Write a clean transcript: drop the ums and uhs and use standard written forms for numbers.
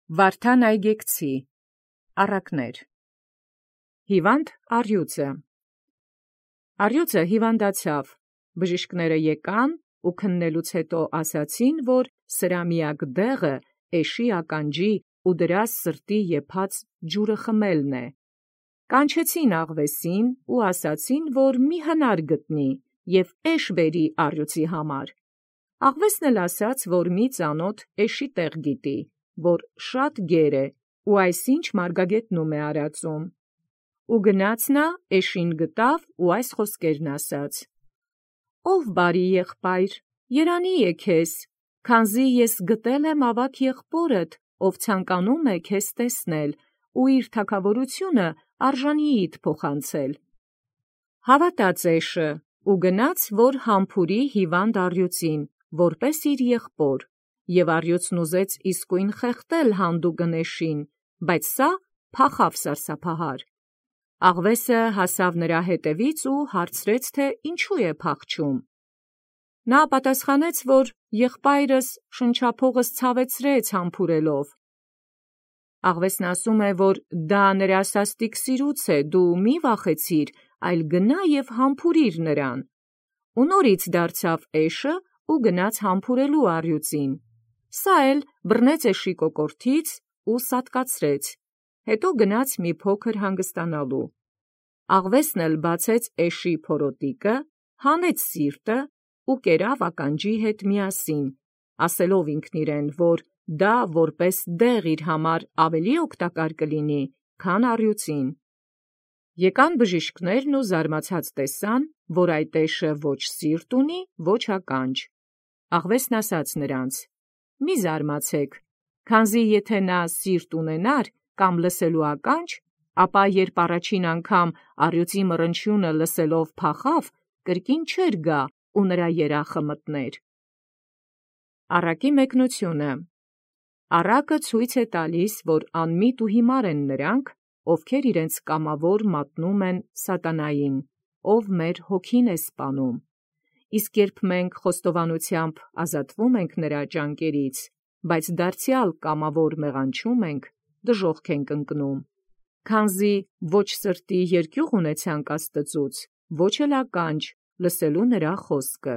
Վարդան Այգեկցի առակներ։ Հիվանդ առյուծը հիվանդացավ, բժիշկները եկան ու քննելուց հետո ասացին, որ սրա միակ դեղը էշի ականջի ու դրա սրտի եփած ջուրը խմելն է։ Կանչեցին աղվեսին ու ասացին, որ մի հնար գտնի և էշ բերի առյուծի համար։ Աղվեսն էլ ասաց, որ մի ծանոթ էշի տեղ գիտի, որ շատ գեր է ու այսինչ մարգագետնում է արածում։ Ու գնաց նա էշին գտավ ու այս խոսքերն ասաց. «Ով բարի եղբայր, երանի է քեզ, քանզի ես գտել եմ ավագ եղբորդ, ով ցանկանում է քեզ տեսնել ու իր թագավորությունը արժանիիդ փոխանցել»։ Հավատաց էշը ու գնաց, որ համբուրի հիվանդ առյուծին, որպես իր եղբոր, և առյուծն ուզեց իսկույն խեղդել հանդուգն էշին, բայց սա փախավ սարսափահար։ Աղվեսը հասավ նրա հետևից ու հարցրեց, թե ինչու է փախչում։ Նա պատասխանեց, որ եղբայրս շնչափողս ցավեցրեց համբուրելով։ Աղվեսն ասում է, որ դա նրա սաստիկ սիրուց է, դու մի վախեցիր, այլ գնա և համբուրիր նրան։ Ու նորից դարձավ էշը ու գնաց համբուրելու առյուծին։ Սա էլ բռնեց էշի կոկորդից ու սատկացրեց, հետո գնաց մի փոքր հանգստանալու։ Աղվեսն էլ բացեց էշի փորոտիկը, հանեց սիրտը ու կերավ ականջի հետ միասին, ասելով ինքն իրեն, որ դա որպես դեղ իր համար ավելի օգտակար կլինի, քան առյուծին։ Եկան բժիշկներն ու զարմացած տեսան, որ այդ էշը ոչ սիրտ ունի, ոչ ականջ։ Աղվեսն ասաց նրանց. «Մի զարմացեք, քանզի եթե նա սիրտ ունենար կամ լսելու ականջ, ապա երբ առաջին անգամ առյուծի մռնչյունը լսելով փախավ, կրկին չէր գա ու նրա երախը մտներ»։ Առակի մեկնությունը։ Առակը ցույց է տալիս, որ անմիտ ու հիմար են նրանք, ովքեր իրենց կամավոր մատնում են սատանային, ով մեր հոգին է սպանում։ Իսկ երբ մենք խոստովանությամբ ազատվում ենք նրա ճանկերից, բայց դարձյալ կամավոր մեղանչում ենք, դժոխք ենք ընկնում։ Քանզի ոչ սրտի երկյուղ ունեցանք Աստծուց, ոչ էլ ականջ, լսելու նրա խոսքը։